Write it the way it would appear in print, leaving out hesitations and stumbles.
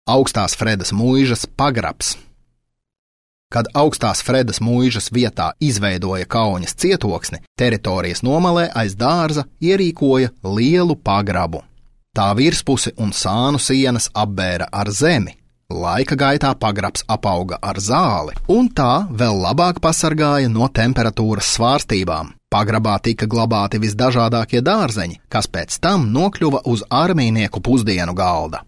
Augstās Fredas muižas pagrabs. Kad Augstās Fredas muižas vietā izveidoja Kauņas cietoksni, teritorijas nomalē aiz dārza ierīkoja lielu pagrabu. Tā virspusi un sānu sienas apbēra ar zemi. Laika gaitā pagrabs apauga ar zāli, un tā vēl labāk pasargāja no temperatūras svārstībām. Pagrabā tika glabāti visdažādākie dārzeņi, kas pēc tam nokļuva uz armijnieku pusdienu galda.